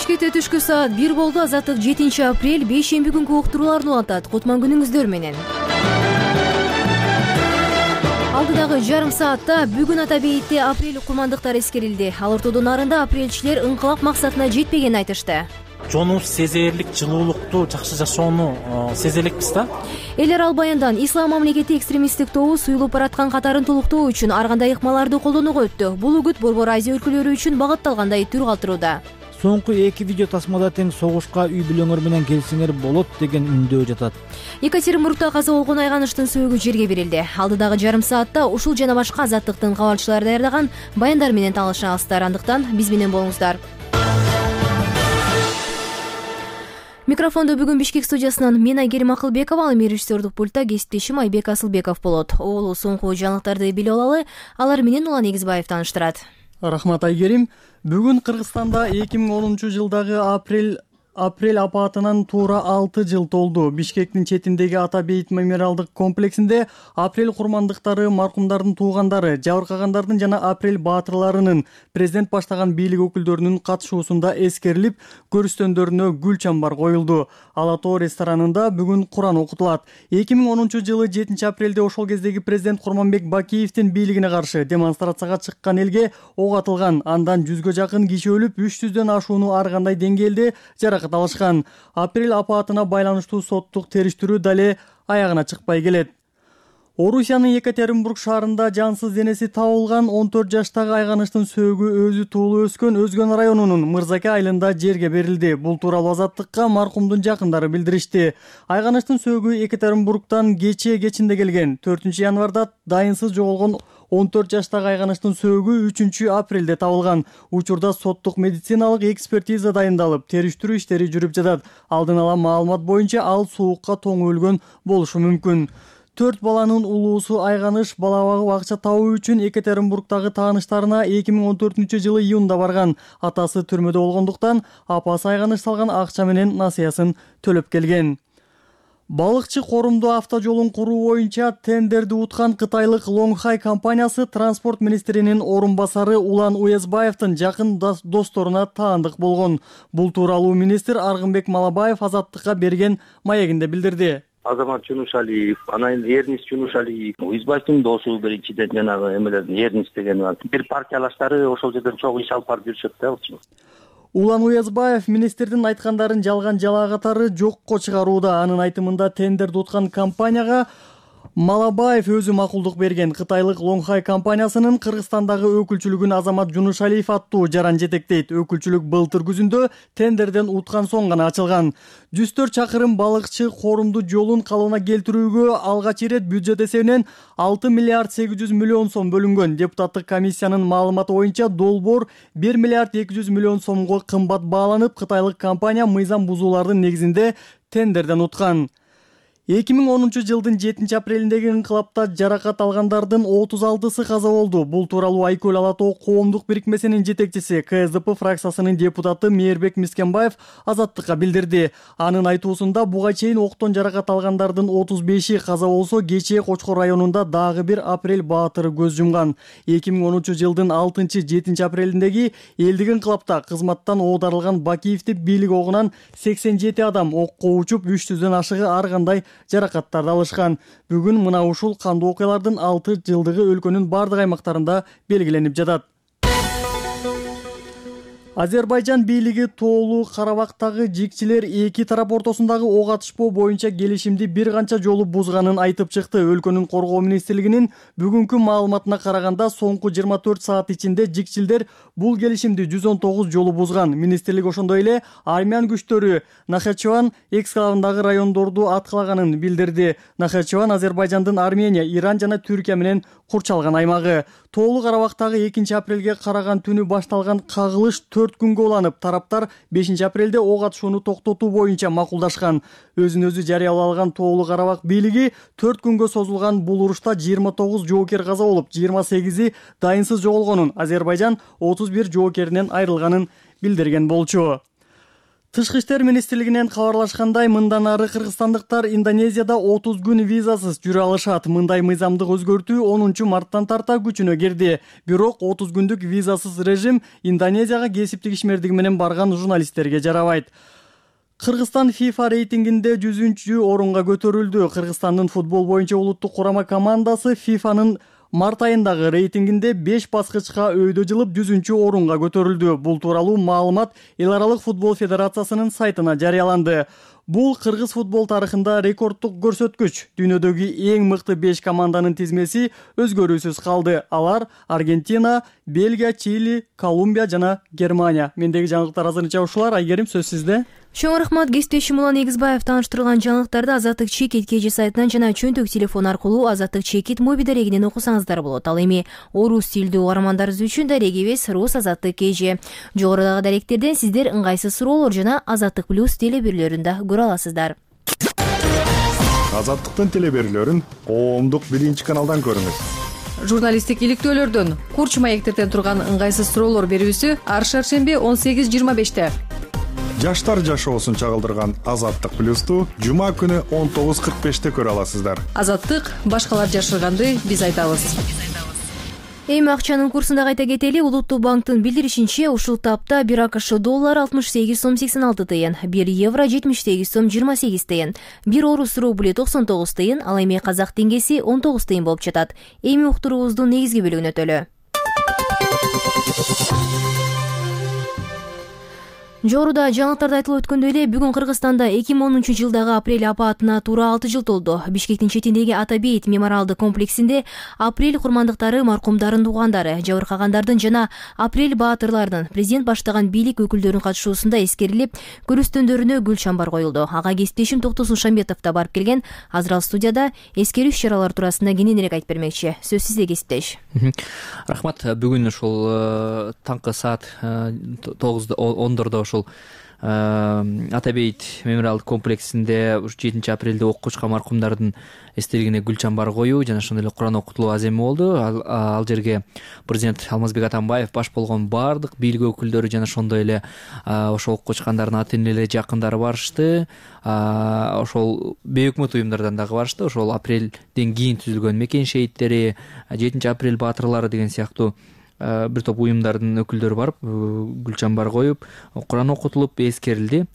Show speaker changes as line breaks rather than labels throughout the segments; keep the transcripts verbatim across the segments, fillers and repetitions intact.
Бишкекте түшкү саат бир болду. Азаттык жетинчи апрель бейшемби күнгү уктурууларын улантат. Кутман күнүңүздөр менен. Алдыдагы жарым саатта бүгүн ата бейитте апрель курмандыктар эскерилди. Ал ортодон нарында апрелчилер ыңкылап максатына жетпегенин айтышты.
Жонубуз сезээрлик, жылуулукту, жакшы жашоону сезе элекпиз да.
Эл арал баяндан ислам мамлекети экстремисттик тобу суюлуп бараткан катарын толуктоо үчүн ар кандай ыкмаларды колдонууга өттү. Бул үгүт Борбор Азия өлкөлөрү үчүн багытталгандай түр калтырууда.
Соңку эки видео тасмада тең согушка үй бүлөңөр менен келсеңер болот деген үндөө жатат.
Екатеринбургда каза болгон айганыштын сөөгү жерге берилди. Алдыдагы жарым саатта ушул жана башка азаттыктын кабарчылары даярдаган баяндар менен таанышасыздар. Андыктан биз менен болуңуздар. Микрофондо бүгүн Бишкек студиясынан мен Айгерим Акылбекова, ал режиссердук пультта кесиптешим Айбек Асылбеков болот. Ол соңку жаңылыктарды билип алалы, алар менен Улан Эгизбаев тааныштырат.
Рахмат Айгерим. Бүгүн Кыргызстанда эки миң онунчу жылдагы апрель апрель апатынан туура алты жыл толду. Бишкектин четиндеги Ата бейит мемориалдык комплексинде апрель курмандыктары, маркумдардын туугандары, жабыркагандардын жана апрель баатырларынын президент баштаган бийлик өкүлдөрүнүн катышуусунда эскерилип, көрүстөндөрүнө гүл чамбар коюлду. Ала Тоо ресторанында бүгүн Куран окутулат. эки миң онунчу жылы жетинчи апрелде ошол кездеги президент Курманбек Бакиевдин бийлигине каршы демонстрацияга чыккан элге ок атылган. Андан жүзгө жакын киши өлүп, үч жүздөн ашууну ар кандай деңгээлде жаракат алышкан. Апрель апатына байланыштуу соттук териштирүү дале аягына чыкпай келет. Орусиянын Екатеринбург шаарында жансыз денеси табылган он төрт жаштагы айганыштын сөөгү өзү туулуп өскөн Өзгөн районунун Мырзаке айылында жерге берилди. Бул тууралуу Азаттыкка маркумдун жакындары билдиришти. Айганыштын сөөгү Екатеринбургтан кечээ кечинде келген. төртүнчү январда дайынсыз жоголгон он төрт жаштагы айганыштын сөөгү үчүнчү апрелде табылган. Учурда соттук медициналык экспертиза дайындалып, териштирүү иштери жүрүп жатат. Алдын ала маалымат боюнча ал суукка тоңуп өлгөн болушу мүмкүн. Төрт баланын улуусу айганыш бала багып акча табуу үчүн Екатеринбургдагы тааныштарына эки миң он төртүнчү жылы июнда барган. Атасы түрмөдө болгондуктан апасы айганыш салган акча менен насыясын төлөп келген. Балыкчы корумдуу автожолун куруу боюнча тендерди уткан кытайлык Лонгхай компаниясы транспорт министринин орун басары Улан Уезбаевдин жакын досторуна таандык болгон. Бул тууралуу министр Аргынбек Малабаев Азаттыкка берген маегинде билдирди.
Азамат Жунушалиев, анан Эрнис Жунушалиев, Уезбаевдин досу биринчиден жанагы эмелердин Эрнис деген бир партиялаштары ошол жерден чогуу иш алып барып жүрүшөт да.
Улан Уезбаев министрдин айткандарын жалган жалаа катары жокко чыгарууда. Анын айтымында тендерди уткан компанияга Малабаев өзү макулдук берген. Кытайлык Лонгхай компаниясынын Кыргызстандагы өкүлчүлүгүн Азамат Жунушалиев аттуу жаран жетектейт. Өкүлчүлүк былтыр күзүндө тендерден уткан соң гана ачылган. жүз төрт чакырым балыкчы корумду жолун калыбына келтирүүгө алгач ирет бюджет эсебинен алты миллиард сегиз жүз миллион сом бөлүнгөн. Депутаттык комиссиянын маалыматы боюнча долбоор бир миллиард эки жүз миллион сомго кымбат бааланып, кытайлык компания мыйзам бузуулардын негизинде тендерден уткан. эки миң онунчу жылдын жетинчи апрелиндеги ыңкылапта жаракат алгандардын отуз алтысы каза болду. Бул тууралуу Айкөл Ала Тоо коомдук бирикмесинин жетекчиси, К С Д П фракциясынын депутаты Мээрбек Мискенбаев Азаттыкка билдирди. Анын айтуусунда буга чейин октон жаракат алгандардын отуз беши каза болсо, кечээ Кочкор районунда дагы бир апрель баатыры көз жумган. эки миң онунчу жылдын алтынчы жетинчи апрелиндеги элдик ыңкылапта кызматтан оодарылган Бакиевди бийлик огунан сексен жети адам окко учуп, үч жүздөн ашыгы ар кандай жаракаттарды алышкан. Бүгүн мына ушул кандуу окуялардын алты жылдыгы өлкөнүн бардык аймактарында белгиленип жатат. Азербайжан бийлиги Тоолуу Карабактагы жикчилер эки тарап ортосундагы ок атышпоо боюнча келишимди бир канча жолу бузганын айтып чыкты. Өлкөнүн коргоо министрлигинин бүгүнкү маалыматына караганда, соңку жыйырма төрт саат ичинде жикчилдер бул келишимди жүз он тогуз жолу бузган. Министрлик ошондой эле армян күчтөрү Нахачеван эксклавындагы райондорду аткалаганын билдирди. Нахачеван Азербайжандын Армения, Иран жана Түркия менен курчалган аймагы. Тоолуу Карабактагы экинчи апрелге караган түнү башталган кагылыш төрт күнгө уланып, тараптар бешинчи апрелде ок атышууну токтотуу боюнча макулдашкан. Өзүн өзү жарыялап алган Тоолуу Карабак бийлиги төрт күнгө созулган бул урушта жыйырма тогуз жоокер каза болуп, жыйырма сегизи дайынсыз жоголгонун, Азербайжан отуз бир жоокеринен айрылганын билдирген болчу. Тышкы иштер министрлигинен кабарлашкандай, мындан ары кыргызстандыктар Индонезияда отуз күн визасыз жүрө алышат. Мындай мыйзамдык өзгөртүү онунчу марттан тарта күчүнө кирди. Бирок отуз күндүк визасыз режим Индонезияга кесиптик ишмердиги менен барган журналисттерге жарабайт. Кыргызстан FIFA рейтингинде жүзүнчү орунга көтөрүлдү. Кыргызстандын футбол боюнча улуттук курама командасы FIFAнын март айындагы рейтингинде беш баскычка өйдө жылып жүзүнчү орунга көтөрүлдү. Бул тууралуу маалымат Эл аралык футбол федерациясынын сайтына жарыяланды. Бул кыргыз футбол тарыхында рекордтук көрсөткүч. Дүйнөдөгү эң мыкты беш команданын тизмеси өзгөрүүсүз калды. Алар Аргентина, Бельгия, Чили, Колумбия жана Германия. Мендеги жаңылыктар азырынча ушулар. Айгерим, сөз сизде.
Чоң рахмат. Кесиптешим Улан Эгизбаев тааныштырган жаңылыктарды Азаттык Чекит кежи сайтынан жана чөнтөк телефон аркылуу Азаттык Чекит моби дарегинен окусаңыздар болот. Ал эми орус тилдүү угармандарыбыз үчүн дарегибиз Рус Азаттык кежи. Жогорудагы даректерден сиздер ыңгайсыз суроолор жана Азаттык плюс телеберүүлөрүндө көрө аласыздар.
Азаттыктын телеберүүлөрүн коомдук биринчи каналдан көрүңүз.
Журналисттик иликтөөлөрдөн курч маектерден турган ыңгайсыз суроолор берүүсү ар шаршемби он сегиз жыйырма беште.
Жаштар жашоосун чагылдырган Азаттык плюсту жума күнү он тогуз кырк беште көрө аласыздар.
Азаттык башкалар жашырганды биз айтабыз.
Эми акчанын курсун да кайта кетели. Улуттук банктын билдиришинче, ушул тапта бир АКШ доллары алтымыш сегиз сом сексен алты тыйын, бир евро жетимиш сегиз сом жыйырма сегиз тыйын, бир орус рубли токсон тогуз тыйын, ал эми казак теңгеси он тогуз тыйын болуп жатат. Эми уктуруубуздун негизги бөлүгүнө өтөлү. Жогоруда жаңылыктарда айтылып өткөндөй эле, бүгүн Кыргызстанда эки миң онунчу жылдагы апрель апаатына туура алты жыл толду. Бишкектин четиндеги Ата бейит мемориалдык комплексинде апрель курмандыктары, маркумдардын туугандары, жабыркагандардын жана апрель баатырларынын президент баштаган бийлик өкүлдөрүнүн катышуусунда эскерилип, көрүстөндөрүнө гүл чамбар коюлду. Ага кесиптешим Токтосун Шамбетов да барып келген. Азыр ал студияда эскерүү иш-чаралары туурасында кененирээк айтып бермекчи. Сөз сизде, кесиптеш.
Рахмат. Бүгүн ушул таңкы саат тогузда ондордо ушул Ата бейит мемориалдык комплексинде жетинчи апрелде окуучка маркумдардын эстелигине гүл чамбар коюу жана ошондой эле Куран окутулуу аземи болду. Ал, ал жерге президент Алмазбек Атамбаев баш болгон баардык бийлик өкүлдөрү жана ошондой эле ошол окуп чыккандардын ата энелери, жакындары барышты. Ошол бейөкмөт уюмдардан дагы барышты. Ошол апрелден кийин түзүлгөн мекен шейиттери, жетинчи апрель баатырлары деген сыяктуу бир топ уюмдардын өкүлдөрү барып гүл чамбар коюп, Куран окутулуп эскерилди.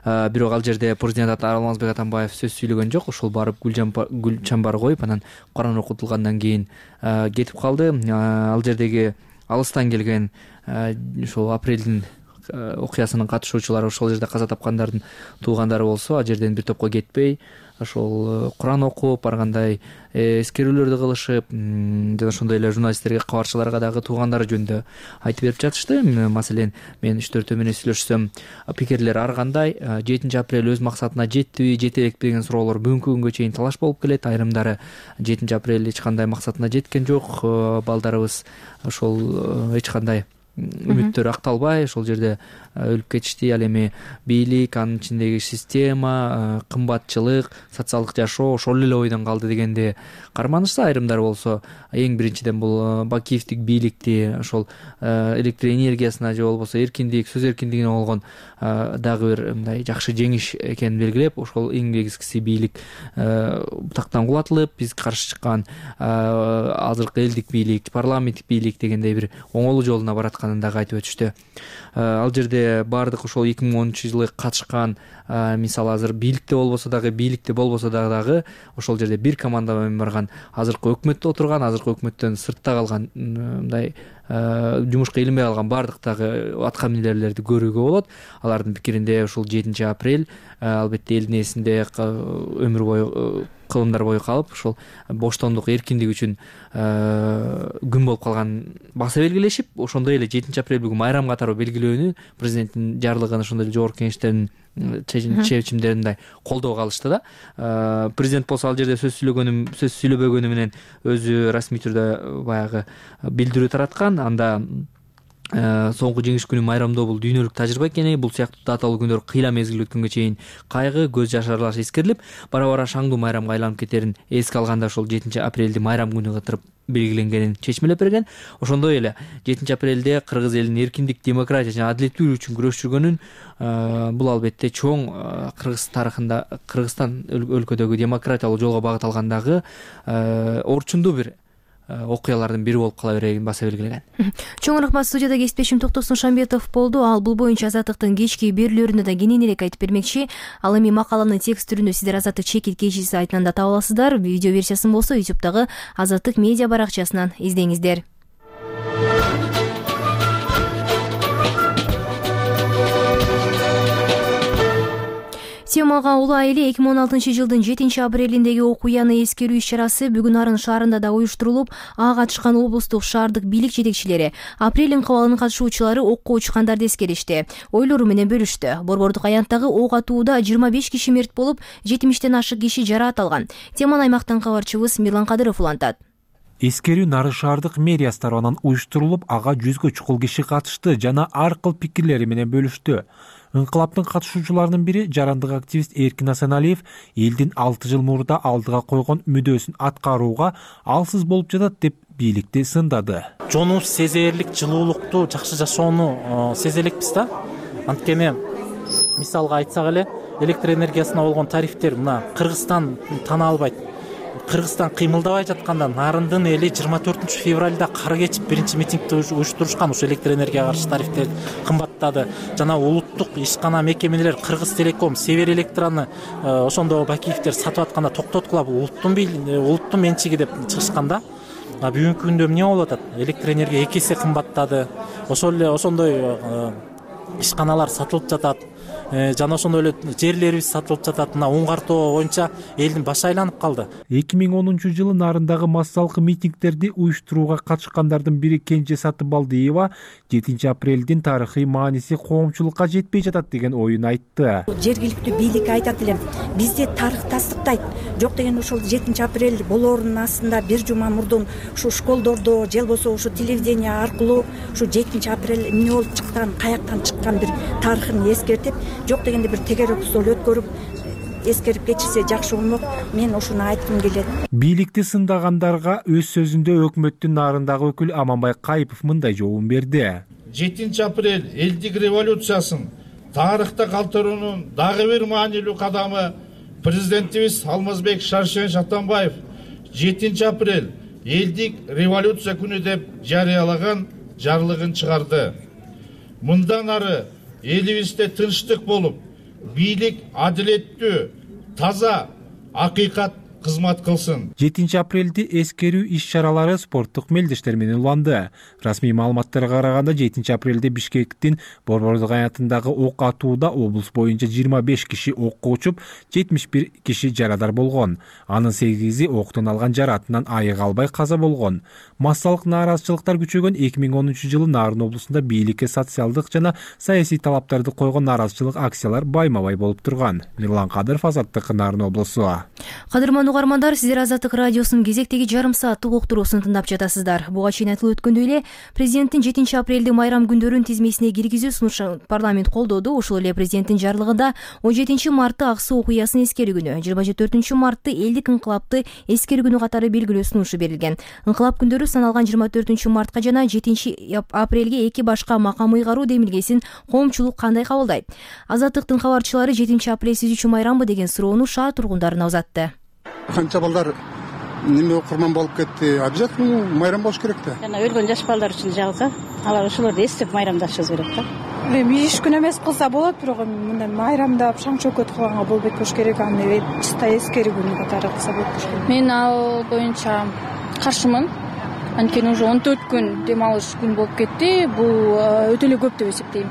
Бирок ал жерде президент Алмазбек Атамбаев сөз сүйлөгөн жок. Ошол барып гүл чамбар коюп, анан Куран окутулгандан кийин кетип калды. Ал жердеги алыстан келген ошол апрелдин окуясынын катышуучулары, ошол жерде каза тапкандардын туугандары болсо, ал жерден бир топко кетпей, ошол Куран окуп, баргандай эскерүүлөрдү кылышып, жана ошондой эле журналисттерге, кабарчыларга дагы туугандары жөнүндө айтып берип жатышты. Маселен, мен үч төртөө менен сүйлөшсөм, пикирлер ар кандай. жетинчи апрель өз максатына жеттиби, жете элекпи деген суроолор бүгүнкү күнгө чейин талаш болуп келет. Айрымдары жетинчи апрель эч кандай максатына жеткен жок, балдарыбыз ошол эч кандай үмүттөр акталбай ошол жерде өлүп кетишти. Ал эми бийлик, анын ичиндеги система, кымбатчылык, социалдык жашоо ошол эле ойдон калды дегенде карманышса, айрымдар болсо эң биринчиден бул Бакиевдик бийликти, ошол электр энергиясына же болбосо эркиндик, сөз эркиндигине болгон дагы бир мындай жакшы жеңиш экенин белгилеп, ошол эң негизгиси бийлик тактан кулатылып, биз каршы чыккан азыркы элдик бийлик, парламенттик бийлик дегендей бир оңолуу жолуна барат дагы айтып өтүштү. Ал жерде баардык ошол эки миң онунчу жылы катышкан, мисалы азыр бийликте болбосо дагы, бийликте болбосо дагы ошол жерде бир команда менен барган, азыркы өкмөттө отурган, азыркы өкмөттөн сыртта калган, мындай жумушка илинбей калган баардык дагы атка минерлерди көрүүгө болот. Алардын пикиринде ушул жетинчи апрель албетте элдин эсинде өмүр бою, кылымдар бою калып, ошол боштондук, эркиндик үчүн күн болуп калган баса белгилешип, ошондой эле жетинчи апрель бүгүн майрам катары белгилөөнү президенттин жарлыгын, ошондой эле жогорку кеңештердин чечимдерин колдоого алышты да. Президент болсо ал жерде сөз сүйлөгөнү, сөз сүйлөбөгөнү менен өзү расмий түрдө баягы билдирүү тараткан. Анда соңку жеңиш күнү майрамдоо бул дүйнөлүк тажрыйба экени, бул сыяктуу даталуу күндөр кыйла мезгил өткөнгө чейин кайгы, көз жашарлар эскерилип, бара бара шаңдуу майрамга айланып кетерин эске алганда ошол жетинчи апрелди майрам күнү кылып белгиленгенин чечмелеп берген. Ошондой эле жетинчи апрелде кыргыз элинин эркиндик, демократия жана адилеттүүлүк үчүн күрөшүп жүргөнүн бул албетте чоң Кыргыз тарыхында, Кыргызстан өлкөдөгү демократиялуу жолго багыт алгандагы орчундуу бир окуялардын бири болуп кала берерин баса белгилеген.
Чоң рахмат. Студияда кесиптешим Токтосун Шамбетов болду. Ал бул боюнча Азаттыктын кечки берүүлөрүндө да кененирээк айтып бермекчи. Ал эми макаланын текст түрүндө сиздер Азаттык чекит кечи сайтынан да таба аласыздар. Видео версиясын болсо ютубтагы Азаттык медиа баракчасынан издеңиздер. Темага улуу айылы эки миң он алтынчы жылдын жетинчи апрелиндеги окуяны эскерүү иш-чарасы бүгүн Арын шаарында да уюштурулуп, ага катышкан облустук шаардык бийлик жетекчилери, апрель инкыбалынын катышуучулары окко учкандарды эскеришти, ойлору менен бөлүштү. Борбордук аянттагы ок атууда жыйырма беш киши мерт болуп, жетимиштен ашык киши жараат алган. Теманы аймактан кабарчыбыз Мирлан Кадыров улантат.
Эскерүү Нарын шаардык мэриясы тарабынан уюштурулуп, ага жүзгө чукул киши катышты жана ар кыл пикирлери менен бөлүштү. Инкылаптын катышуучуларынын бири жарандык активист Эркин Асаналиев элдин алты жыл мурда алдыга койгон мүдөөсүн аткарууга алсыз болуп жатат деп бийликти сындады.
Жонубуз сезээрлик жылуулукту, жакшы жашоону сезе элекпиз да. Анткени мисалга айтсак эле, электр энергиясына болгон тарифтер мына Кыргызстан тана албайт. Кыргызстан кыймылдабай жатканда Нарындын эли жыйырма төртүнчү февралда кар кечип биринчи митингди уюштурушкан, ушу электр энергияга каршы тарифтер кымбаттады. Жана улуттук ишкана мекемелер Кыргыз Телеком, Север Электраны ошондо Бакиевдер сатып атканда токтоткула, бул улуттун улуттун менчиги деп чыгышканда. А бүгүнкү күндө эмне болуп атат? Электр энергия эки эсе кымбаттады. Ошол эле ошондой ишканалар сатылып жатат. Жана ошондой эле жерлерибиз сатылып жатат. Мына оңгартуу боюнча элдин башы айланып калды.
эки миң онунчу жылы Нарындагы массалык митингдерди уюштурууга катышкандардын бири Кенже Сатыбалдиева жетинчи апрелдин тарыхый мааниси коомчулукка жетпей жатат деген оюн айтты.
Жергиликтүү бийлик айтат элем, бизди тарых тастыктайт. Жок деген ошол жетинчи апрель болоорунун астында бир жума мурдун ушу школдордо же болбосо ушу телевидение аркылуу ушу жетинчи апрель эмне болуп чыккан, каяктан чыккан бир тарыхын эскертип, жок дегенде бир тегерек стол өткөрүп эскерип кетишсе жакшы болмок. Мен ушуну айткым келет.
Бийликти сындагандарга өз сөзүндө өкмөттүн нарындагы өкүл Аманбай Кайыпов мындай жообун берди.
жетинчи апрель элдик революциясын тарыхта калтыруунун дагы бир маанилүү кадамы. Президентибиз Алмазбек Шаршенович Атамбаев жетинчи апрель элдик революция күнү деп жарыялаган жарлыгын чыгарды. Мындан ары элибизде тынчтык болуп, бийлик адилеттүү, таза, акыйкат кызмат кылсын.
жетинчи апрелди эскерүү иш-чаралары спорттук мелдештер менен уланды. Расмий маалыматтарга караганда жетинчи апрелде Бишкектин Борбордук аянтындагы ок атууда облус боюнча жыйырма беш киши окко учуп, жетимиш бир киши жарадар болгон. Анын сегизи октон алган жараатынан айыга албай каза болгон. Массалык нааразычылыктар күчөгөн эки миң онунчу жылы Нарын облусунда бийликке социалдык жана саясий талаптарды койгон нааразычылык акциялар байма-бай болуп турган. Мирлан Кадыров, Азаттык, Нарын облусу.
Кадырман угармандар, сиздер Азаттык радиосунун кезектеги жарым сааттык уктуруусун тыңдап жатасыздар. Буга чейин айтылып өткөндөй эле, президенттин жетинчи апрелди майрам күндөрүн тизмесине киргизүү сунушу парламент колдоду. Ошол эле президенттин жарлыгында он жетинчи мартты ак суу окуясын эскерүү күнү, жыйырма төртүнчү мартты элдик инкылапты эскерүү күнү катары белгилөө сунушу берилген. Инкылап күндөрү саналган жыйырма төртүнчү мартка жана жетинчи апрелге эки башка макам ыйгаруу демилгесин коомчулук кандай кабылдайт? Азаттыктын кабарчылары жетинчи апрель сиз үчүн майрамбы деген суроону шаар тургундарына узатты.
Канча балдар неме курман болуп кетти, обязательно майрам болуш керек да.
Жана өлгөн жаш балдар үчүн жалко. Алар ошолорду эстеп майрамдашыбыз керек да.
Эми иш күнү эмес кылса болот, бирок мындай майрамдап шаң чөкөт кылганга болбойт болуш керек. Аны чыста эскерүү күнү катары кылса болот болуш керек.
Мен ал боюнча каршымын. Анткени уже он төрт күн дем алыш күн болуп кетти. Бул өтө эле көп деп эсептейм.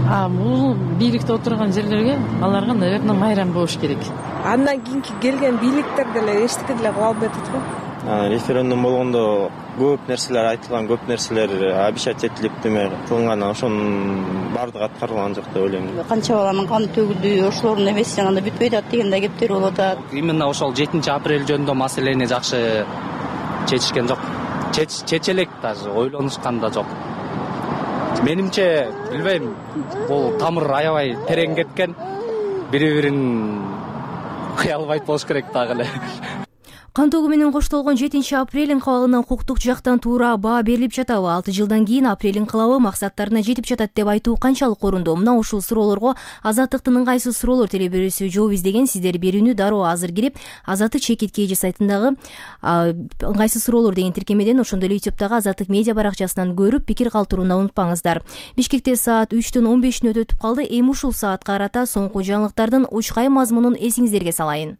А бул бийликте отурган жерлерге аларга, наверное, майрам болуш керек.
Андан кийинки келген бийликтер деле эчтеке деле кыла албай атат го.
Референдум болгондо көп нерселер айтылган, көп нерселер обещать этилип деме кылынган, ошонун баардыгы аткарылган жок деп ойлойм.
Канча баланын каны төгүлдү, ошолордун эмеси анда бүтпөйт атат деген да кептер болуп атат.
Именно ошол жетинчи апрель жөнүндө маселени жакшы чечишкен жок. Чечелек даже ойлонушкан да жок. менимче билбейм, бул тамыр аябай терең кеткен, бири бирин кыя албайт болуш керек дагы эле.
Кан тогу менен коштолгон жетинчи апрель инкыбалына укуктук жактан туура баа берилип жатабы? алты жылдан кийин апрель инкылабы максаттарына жетип жатат деп айтуу канчалык орунду? Мына ушул суроолорго Азаттыктын ыңгайсыз суроолор телебирүүсү жооп издеген. Сиздер берүүнү дароо азыр кирип Азаттык чекит kg сайтындагы ыңгайсыз суроолор деген тиркемеден, ошондой эле ютубтагы Азаттык медиа баракчасынан көрүп пикир калтырууну унутпаңыздар. Бишкекте саат үчтөн он беш мүнөт өтүп калды. Эми ушул саатка карата соңку жаңылыктардын учкай мазмунун эсиңиздерге салайын.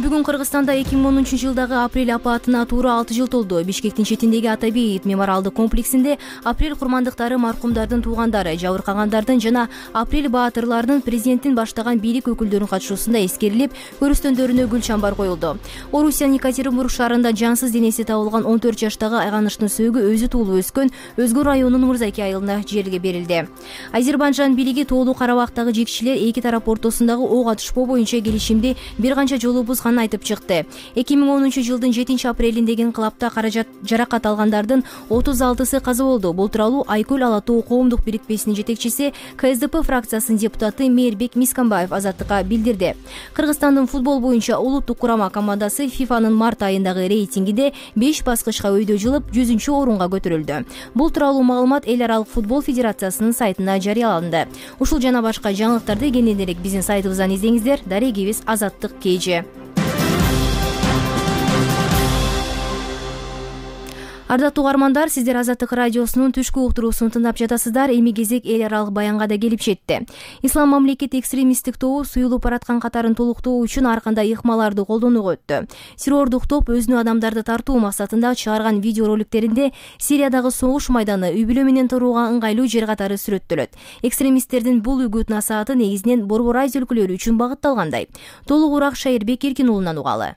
Бүгүн Кыргызстанда эки миң онунчу жылдагы апрель апаатына туура алты жыл толду. Бишкектин четиндеги Ата Бейит мемориалдык комплексинде апрель курмандыктары, маркумдардын туугандары, жабыркагандардын жана апрель баатырларынын президенттин баштаган бийлик өкүлдөрүнүн катышуусунда эскерилип, көрүстөндөрүнө гүл чамбар коюлду. Орусиянын Екатеринбург шаарында жансыз денеси табылган он төрт жаштагы Айганыштын сөөгү өзү туулуп өскөн Өзгө районунун Мырзаки айылына жерге берилди. Азербайжан бийлиги Тоолуу Карабактагы жекчилер эки тарап ортосундагы ок атышпоо боюнча келишимди бир канча жолу бузган айтып чыкты. эки миң онунчу жылдын жетинчи апрелиндеги инкылапта каражат жаракат алгандардын отуз алтысы каза болду. Бул тууралуу Айкөл Ала Тоо коомдук бирикмесинин жетекчиси, КСДП фракциясынын депутаты Мээрбек Мисканбаев Азаттыкка билдирди. Кыргызстандын футбол боюнча улуттук курама командасы ФИФАнын март айындагы рейтингинде беш баскычка өйдө жылып жүзүнчү орунга көтөрүлдү. Бул тууралуу маалымат Эл аралык футбол федерациясынын сайтына жарыяланды. Ушул жана башка жаңылыктарды кенен элек биздин сайтыбыздан издеңиздер. Дарегибиз Азаттык kg. Ардаттуу угармандар, сиздер Азаттык радиосунун түшкү уктуруусун тыңдап жатасыздар. Эми кезек эл аралык баянга да келип жетти. Ислам мамлекет экстремисттик тобу суюлуп бараткан катарын толуктоо үчүн ар кандай ыкмаларды колдонууга өттү. Террордук топ өзүнүн адамдарды тартуу максатында чыгарган видеороликтеринде Сириядагы согуш майданы, үй бүлө менен турууга ыңгайлуу жер катары сүрөттөлөт. Экстремисттердин бул үгүт насааты негизинен Борбор Азия өлкөлөрү үчүн багытталгандай. Толугураак Шайырбек Эркин уулунан угалы.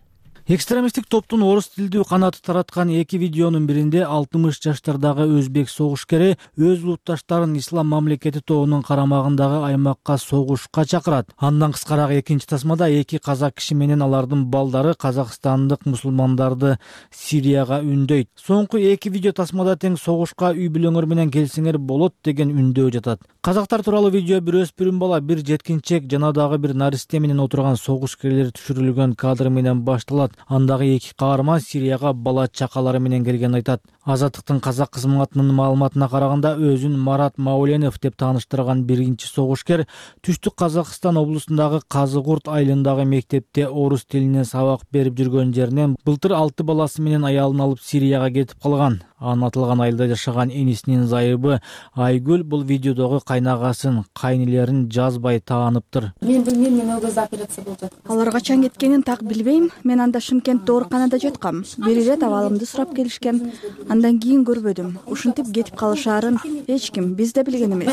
Экстремисттик топтун орус тилдүү канаты тараткан эки видеонун биринде алтымыш жаштардагы өзбек согушкери өз улутташтарын Ислам мамлекети тобунун карамагындагы аймакка согушка чакырат. Андан кыскараак экинчи тасмада эки казак киши менен алардын балдары казакстандык мусулмандарды Сирияга үндөйт. Соңку эки видео тасмада тең согушка үй бүлөңөр менен келсеңер болот деген үндөө жатат. Казактар тууралуу видео бир өспүрүм бала, бир жеткинчек жана дагы бир наристе менен отурган согушкерлер түшүрүлгөн кадр менен башталат. Андагы эки каарман Сирияга бала чакалары менен келген айтат. Азаттыктын казак кызматынын маалыматына караганда өзүн Марат Мауленов деп тааныштырган биринчи согушкер Түштүк Казакстан облусундагы Казыгурт айылындагы мектепте орус тилинен сабак берип жүргөн жеринен былтыр алты баласы менен аялын алып Сирияга кетип калган. Анатылган айылда жашаган энисинин зайыбы Айгүл бул видеодогу кайнагасын, кайнелерин жазбай тааныптыр.
Мен билмейм, мен ол кезде операция болуп жаткан.
Алар качан кеткенин так билбейм. Мен анда Шымкентте ооруканада жаткам. Бир ирет абалымды сурап келишкен. Андан кийин көрбөдүм. Ушинтип кетип калышаарын эч ким биз да билген эмес.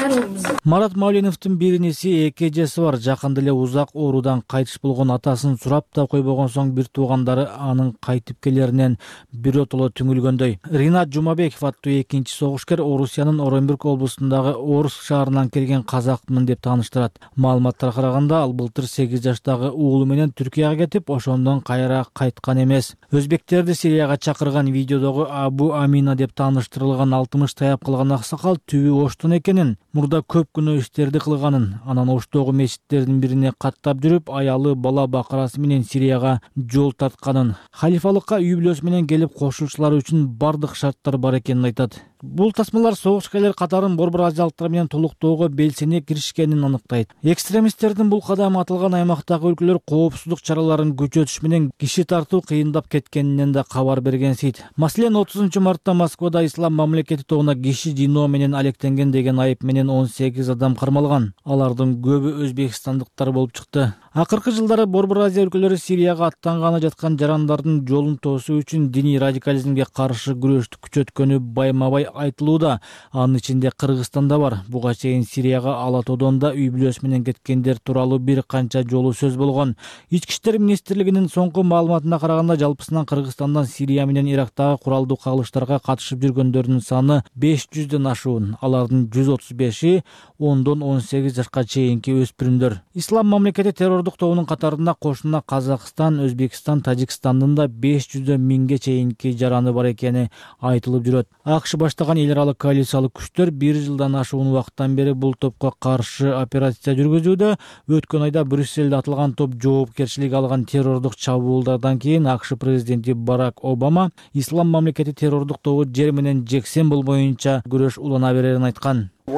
Марат Мауленовдун бир иниси эки эжеси бар. Жакында эле узак оорудан кайтыш болгон атасын сурап да койбогон соң бир туугандары анын кайтып келеринен биротоло түңүлгөндөй. Ринат Жумабеков аттуу экинчи согушкер Орусиянын Оренбург облусундагы Орск шаарынан келген казакмын деп тааныштырат. Маалыматтарга караганда ал былтыр сегиз жаштагы уулу менен Түркияга кетип, ошондон кайра кайткан эмес. Өзбектерди Сирияга чакырган видеодогу Абу Амина деп тааныштырылган алтымыш таяп калган аксакал түбү оштон экенин, мурда көп күнөө иштерди кылганын, анан оштогу мечиттердин бирине каттап жүрүп, аялы бала бакырасы менен Сирияга жол тартканын, халифалыкка үй бүлөсү менен келип кошулчулар үчүн бардык шарттар бар экенин айтат. Бул тасмалар согушкерлер катарын борбор азиялыктар менен толуктоого белсене киришкенин аныктайт. Экстремисттердин бул кадамы аталган аймактагы өлкөлөр коопсуздук чараларын күчөтүш менен киши тартуу кыйындап кеткенинен да кабар бергенсийт. Маселен, отузунчу мартта Москвада Ислам мамлекети тобуна киши жиноо менен алектенген деген айып менен он сегиз адам кармалган. Алардын көбү өзбекстандыктар болуп чыкты. Акыркы жылдары Борбор Азия өлкөлөрү Сирияга аттанганы жаткан жарандардын жолун тоосуу үчүн диний радикализмге каршы күрөштү күчөткөнү байма-бай айтылууда. Анын ичинде Кыргызстан да бар. Буга чейин Сирияга Ала Тоодон да үй бүлөсү менен кеткендер тууралуу бир канча жолу сөз болгон. Ички иштер министрлигинин соңку маалыматына караганда, жалпысынан Кыргызстандан Сирия менен Ирактагы куралдуу кагылыштарга катышып жүргөндөрдүн саны беш жүздөн ашуун. Алардын жүз отуз беши ондон он сегиз жашка чейинки өспүрүмдөр. Ислам мамлекети террор террордук тобунун катарында кошуна Казакстан, Өзбекстан, Тажикстандын да беш жүздөн миңге чейинки жараны бар экени айтылып жүрөт. АКШ баштаган эл аралык коалициялык күчтөр бир жылдан ашуун убакыттан бери бул топко каршы операция жүргүзүүдө. Өткөн айда Брюссельде атылган топ жоопкерчилик алган террордук чабуулдардан кийин АКШ президенти Барак Обама ислам мамлекети террордук тобу жер менен жексен болбоюнча күрөш улана берерин айткан.
Биз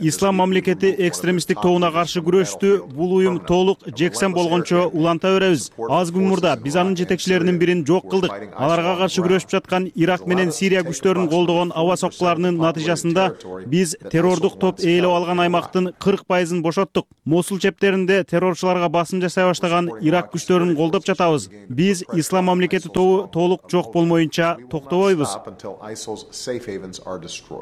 ислам мамлекети экстремисттик тобуна каршы күрөштү бул уюм толук жексен болгончо уланта беребиз. Аз күн мурда биз анын жетекчилеринин бирин жок кылдык. Аларга каршы күрөшүп жаткан Ирак менен Сирия күчтөрүн колдогон аба соккуларынын натыйжасында биз террордук топ ээлеп алган аймактын кырк пайызын бошоттук. Мосул чептеринде террорчуларга басым жасай баштаган Ирак күчтөрүн колдоп жатабыз. Биз ислам мамлекети тобу толук жок болмоюнча токтобойбуз.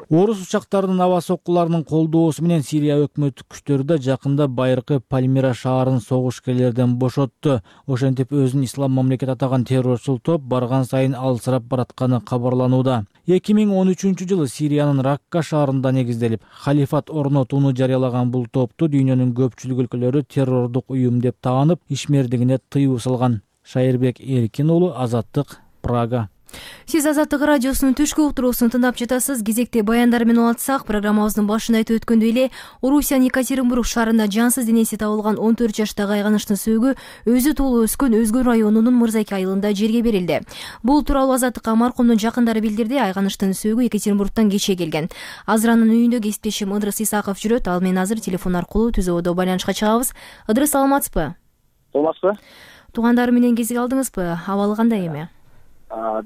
Орус учактарынын аба соккуларынын колдоосу менен Сирия өкмөттүк күчтөрү да жакында байыркы Пальмира шаарын согушкерлерден бошотту. Ошентип өзүн ислам мамлекет атаган террорчул топ барган сайын алсырап баратканы кабарланууда. эки миң он үчүнчү жылы Сириянын Ракка шаарында негизделип, халифат орнотууну жарыялаган бул топту дүйнөнүн көпчүлүк өлкөлөрү террордук уюм деп таанып, ишмердигине тыюу салган. Шайырбек Эркин уулу, Азаттык, Прага.
Сиз Азаттык радиосунун түшкү уктуруусун тыңдап жатасыз. Кезекте баяндар менен улантсак, программабыздын башында айтып өткөндөй эле, Орусиянын Екатеринбург шаарында жансыз денеси табылган он төрт жаштагы айганыштын сөөгү өзү туулуп өскөн Өзгөн районунун Мырзаке айылында жерге берилди. Бул тууралуу Азаттыкка маркумдун жакындары билдирди. Айганыштын сөөгү Екатеринбургтан кече келген. Азыр анын үйүндө кесиптешим Ыдрыс Исаков жүрөт. Ал менен азыр телефон аркылуу түзөөдө байланышка чыгабыз. Ыдрыс, саламатсызбы?
Саламатсызбы?
Туугандары менен кезиге алдыңызбы? Абалы кандай эми?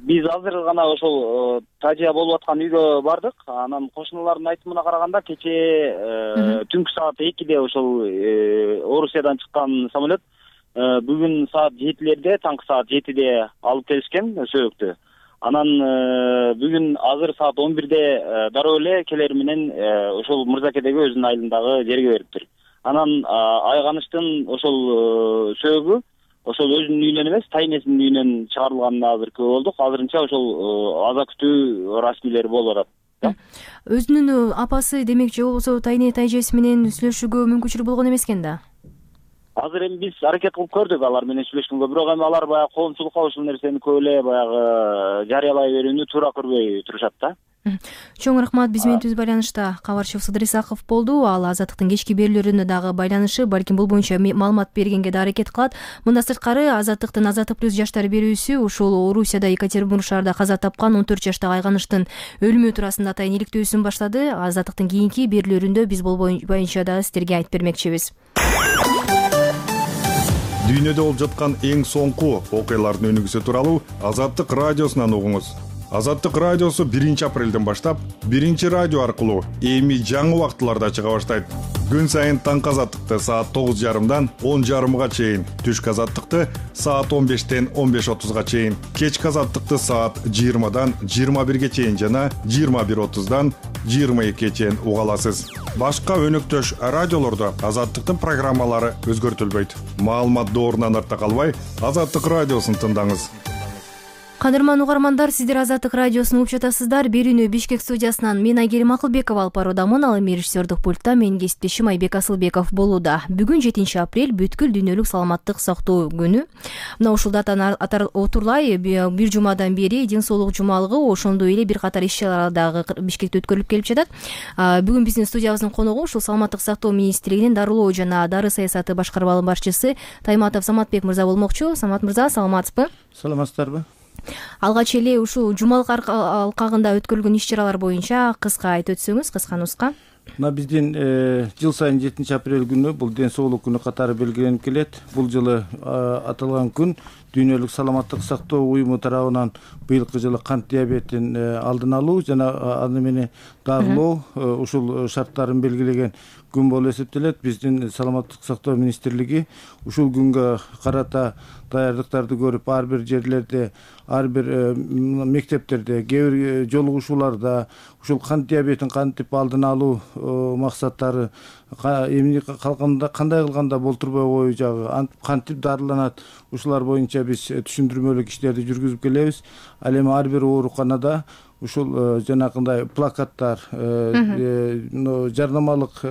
Биз азыр гана ошол тажия болуп аткан үйгө бардык. Анан кошуналардын айтымына караганда кече түнкү саат экиде ошол Орусиядан чыккан самолет бүгүн саат жетилерде, таңкы саат жетиде алып келишкен сөөгүктү. Анан бүгүн азыр саат он бирде дароо эле келери менен ошол Мырзакедеги өзүнүн айылындагы жерге бериптир. Анан айганыштын ошол сөөгү ошол өзүнүн үйүнөн эмес, тайнесинин үйүнөн чыгарылганына азыр күбө болдук. Азырынча ошол аза күтүү расмийлери болуп атат.
Өзүнүн апасы, демек, же болбосо тайне тайжеси менен сүйлөшүүгө мүмкүнчүлүк болгон эмес экен да?
Азыр эми биз аракет кылып көрдүк алар менен сүйлөшкөнгө, бирок эми алар баягы коомчулукка ушул нерсени көп эле баягы жарыялай берүүнү туура көрбөй турушат да.
Чоң рахмат. Биз менен түз байланышта кабарчыбыз Ыдрыс Исаков болду. Ал Азаттыктын кечки берүүлөрүнө дагы байланышы, балким бул боюнча маалымат бергенге да аракет кылат. Мындан сырткары Азаттыктын Азаттык плюс жаштар берүүсү ушул Орусияда Екатеринбург шаарында каза тапкан он төрт жаштагы айганыштын өлүмү туурасында атайын иликтөөсүн баштады. Азаттыктын кийинки берүүлөрүндө биз бул боюнча дагы сиздерге айтып бермекчибиз.
Дүйнөдө болуп жаткан эң соңку окуялардын өнүгүүсү тууралуу Азаттык радиосунан угуңуз. Азаттык радиосу биринчи апрелден баштап биринчи радио аркылуу эми жаңы убактыларда чыга баштайт. Күн сайын таңкы Азаттыкты саат тогуз жарымдан он жарымга чейин, түшкү Азаттыкты саат он бештен он беш отузга чейин, кечки Азаттыкты саат жыйырмадан жыйырма бирге чейин жана жыйырма бир отуздан жыйырма экиге чейин уга аласыз. Башка өнөктөш радиолордо Азаттыктын программалары өзгөртүлбөйт. Маалымат доорунан артта калбай, Азаттык радиосун тыңдаңыз.
Кадырман угармандар, сиздер Азаттык радиосун угуп жатасыздар. Берүүнү Бишкек студиясынан мен Айгерим Акылбекова алып баруудамын. Ал эми режиссердик пультта менин кесиптешим Айбек Асылбеков болууда. Бүгүн жетинчи апрель бүткүл дүйнөлүк саламаттык сактоо күнү. Мына ушул датаны отурлай бир жумадан бери ден соолук жумалыгы, ошондой эле бир катар иш-чаралар дагы Бишкекте өткөрүлүп келип жатат. Бүгүн биздин студиябыздын коногу ушул саламаттык сактоо министрлигинин дарылоо жана дары саясаты башкармалык башчысы Тайматов Саматбек мырза болмокчу. Самат мырза, саламатсызбы?
Саламатсыздарбы?
Алгач эле ушул жумалык алкагында өткөрүлгөн иш-чаралар боюнча кыска айтып өтсөңүз, кыска нуска.
Мына биздин жыл сайын жетинчи апрель күнү бул ден соолук күнү катары белгиленип келет. Бул жылы аталган күн дүйнөлүк саламаттык сактоо уюму тарабынан быйылкы жылы кант диабетин алдын алуу жана аны менен дарылоо ушул шарттарын белгилеген күн болуп эсептелет. Биздин саламаттык сактоо министрлиги ушул күнгө карата даярдыктарды көрүп, ар бир жерлерде, ар бир мектептерде, кээ бир жолугушууларда ушул кант диабетин кантип алдын алуу максаттары эмне калганда кандай кылганда болтурбой коюу кантип дарыланат, ушулар боюнча биз түшүндүрмөлүк иштерди жүргүзүп келебиз. Ал эми ар бир ооруканада ушул жанакындай плакаттар, жарнамалык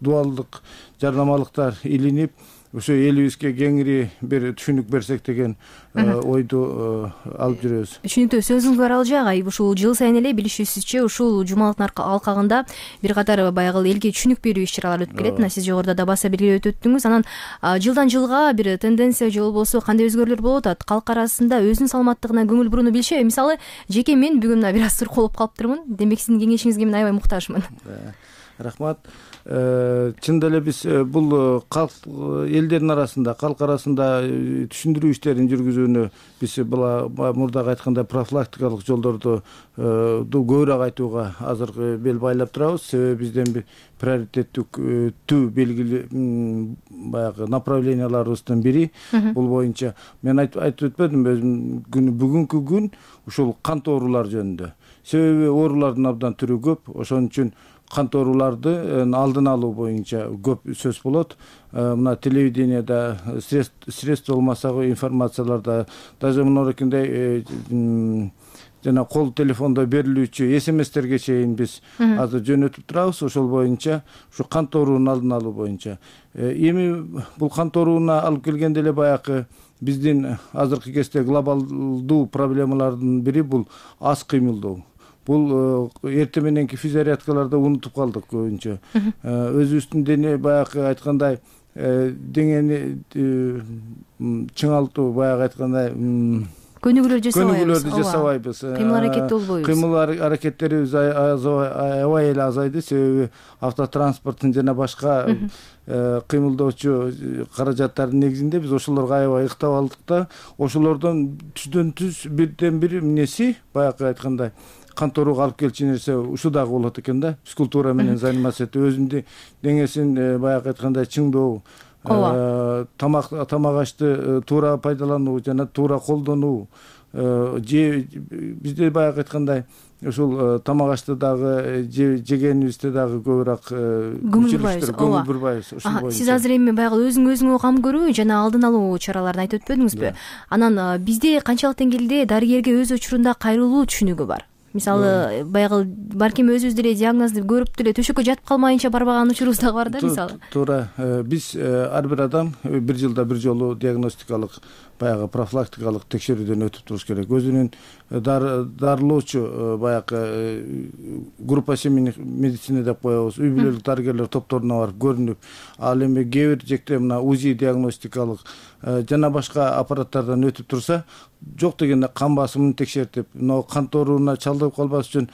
дубалдык жарнамалыктар илинип, ошо элибизге кеңири бир түшүнүк берсек деген ойду алып жүрөбүз.
Түшүнүктүү, сөзүңүз бар Алжак айып. Ушул жыл сайын эле билишибизче ушул жумалыктын алкагында бир катар баягы элге түшүнүк берүү иш-чаралар өтүп келет. Мына сиз жогоруда да баса белгилеп өттүңүз. Анан жылдан жылга бир тенденция же болбосо кандай өзгөрүүлөр болуп атат? Калк арасында өзүнүн саламаттыгына көңүл бурууну билишеби? Мисалы, жеке мен бүгүн мына бир аз сурколуп калыптырмын. Демек сиздин кеңешиңизге мен аябай муктажмын.
Рахмат. Чындап эле биз бул калк элдердин арасында, калк арасында түшүндүрүү иштерин жүргүзүүнү биз мурдагы айткандай профилактикалык жолдорду көбүрөөк айтууга азыр бел байлап турабыз. Себеби бизден приоритеттүү белгилүү баягы направленияларыбыздын бири бул боюнча. Мен айтып өтпөдүм өзүм бүгүнкү күн ушул кант оорулар жөнүндө. Себеби оорулардын абдан түрү көп. Ошон үчүн кант ооруларды алдын алуу боюнча көп сөз болот. Мына телевидениеда, средства болмасагы информацияларда, даже мынакындай жана кол телефондо берилүүчү смстерге чейин биз азыр жөнөтүп турабыз. Ошол боюнча ушу кант оорунун алдын алуу боюнча. Эми бул кант ооруна алып келгенде эле баягы биздин азыркы кезде глобалдуу проблемалардын бири бул аз кыймылдоо. Бул эртең мененки физзарядкаларда унутуп калдык көбүнчө. Өзүбүздүн дене баягы айткандай деңени чыңалтуу, баягы айткандай
көнүгүүлөр жасабайбыз.
Көнүгүүлөрдү жасабайбыз.
Кыймыл аракетте болбойбуз.
Кыймыл аракеттерибиз аябай эле азайды. Себеби автотранспорттун жана башка кыймылдоочу каражаттардын негизинде биз ошолорго аябай ыктап алдык да, ошолордон түздөн түз бирден бир эмнеси баягы айткандай кант ооруга алып келчү нерсе ушу дагы болот экен да. Физкультура менен заниматься этүү, өзүнүн деңесин баягы айткандай чыңдоо, тамак тамак ашты туура пайдалануу жана туура колдонуу, же бизде баягы айткандай ушул тамак ашты дагы жегенибизде дагы көбүрөөк көңүл бурбайбыз.
Сиз азыр эми баягы өзүң өзүңө кам көрүү жана алдын алуу чараларын айтып өтпөдүңүзбү? Анан бизде канчалык деңгээлде дарыгерге өз учурунда кайрылуу түшүнүгү бар? Мисалы, баягы балким өзүбүз деле диагнозду көрүп деле төшөккө жатып калмайынча барбаган учурубуз дагы бар да, мисалы.
Туура. Биз ар бир адам бир жылда бир жолу диагностикалык баягы профилактикалык текшерүүдөн өтүп туруш керек. Өзүнүн дарылоочу баягы группа семейных медицина деп коебуз, үй бүлөлүк дарыгерлер топторуна барып көрүнүп, ал эми кээ бир жекте мына УЗИ диагностикалык жана башка аппараттардан өтүп турса, жок дегенде кан басымын текшертип, мына кант ооруна чалдыгып калбаш үчүн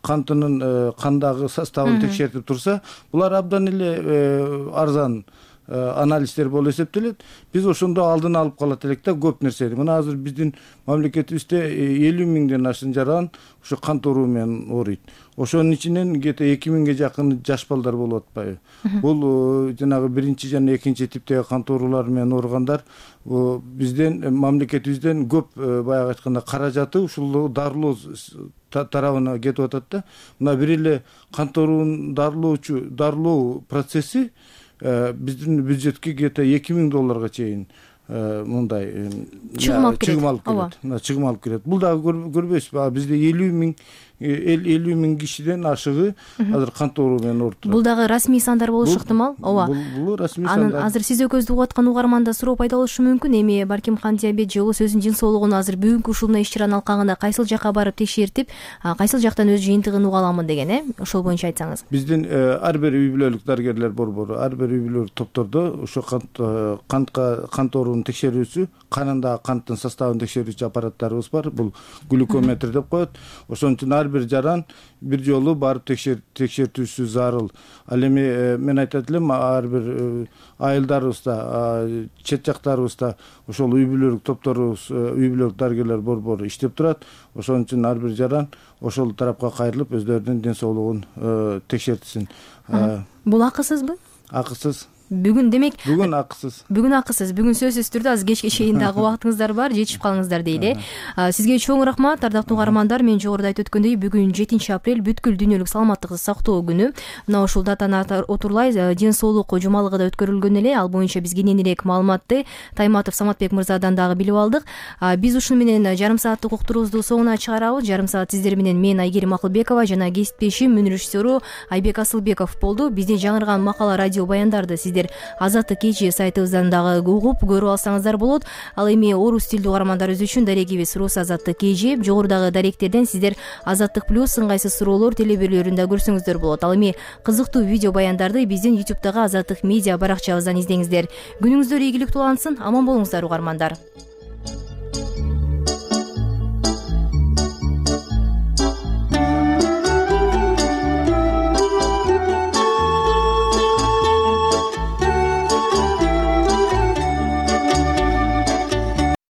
кантынын кандагы составын текшертип турса, булар абдан эле арзан анализдер болуп эсептелет. Биз ошондо алдын алып калат элек да көп нерсени. Мына азыр биздин мамлекетибизде элүү миңден ашык жаран ушу кант ооруу менен ооруйт. Ошонун ичинен где-то эки миңге жакын жаш балдар болуп атпайбы? Бул жанагы биринчи жана экинчи типтеги кант оорулары менен ооругандар бизден мамлекетибизден көп баягы айтканда каражаты ушул дарылоо тарабына кетип атат да. Мына бир эле кант оорун дарылоочу дарылоо процесси биздин бюджетке где-то эки миң долларга чейин мындай чыгым алып келет. Чыгым алып келет. Бул дагы көрбөйсүзбү? Бизде элүү миң элүү миң кишиден ашыгы азыр кант оору менен ооруп турат.
Бул дагы расмий сандар болушу ыктымал. Ооба.
Бул расмий сандар.
Анан азыр сиз экөөбүздү угуп аткан угарманда суроо пайда болушу мүмкүн. Эми балким кант диабет же болбосо өзүнүн жын соолугун азыр бүгүнкү ушул иш-чаранын алкагында кайсыл жакка барып текшертип, кайсыл жактан өз жыйынтыгын уга аламын деген, э? Ошол боюнча айтсаңыз.
Биздин ар бир үй бүлөлүк дарыгерлер борбору, ар бир үй бүлөлүк топтордо ошо кантка кант оорунун текшерүүсү, канындагы канттын составын текшерүүчү аппараттарыбыз бар. Бул глюкометр деп коет. Ошон үчүн ар бир жаран бир жолу барып текшертүүсү зарыл. Ал эми мен айтат элем, ар бир айылдарыбызда, чет жактарыбызда ошол үй бүлөлүк топторубуз, үй бүлөлүк дарыгерлер борбору иштеп турат. Ошон үчүн ар бир жаран ошол тарапка кайрылып өздөрүнүн ден соолугун текшертсин.
Бул акысызбы?
Акысыз.
бүгүн демек
бүгүн акысыз
бүгүн акысыз бүгүн сөзсүз түрдө азыр кечке чейин дагы убактыңыздар бар, жетишип калыңыздар дейли. Сизге чоң рахмат ардактуу угармандар. Мен жогоруда айтып өткөндөй бүгүн жетинчи апрель бүткүл дүйнөлүк саламаттыкты сактоо күнү. Мына ушул датаны отурлай ден соолук жумалыгы да өткөрүлгөн эле. Ал боюнча биз кенен элек маалыматты Тайматов Саматбек мырзадан дагы билип алдык. Биз ушуну менен жарым сааттык уктуруубузду соңуна чыгарабыз. Жарым саат сиздер менен мен Айгерим Акылбекова жана кесиптешим мөн режиссеру Айбек Асылбеков болду. Биздин жаңырган макала радио баяндарды сиздер Азаттык кечи сайтыбыздан дагы угуп көрүп алсаңыздар болот. Ал эми орус тилдүү угармандарыбыз үчүн дарегибиз рус Азаттык кечи. Жогорудагы даректерден сиздер Азаттык плюс ыңгайсыз суроолор телеберлөрүндө көрсөңүздөр болот. Ал эми кызыктуу видео баяндарды биздин ютубтагы Азаттык медиа баракчабыздан издеңиздер. Күнүңүздөр ийгиликтүү улансын, аман болуңуздар угармандар.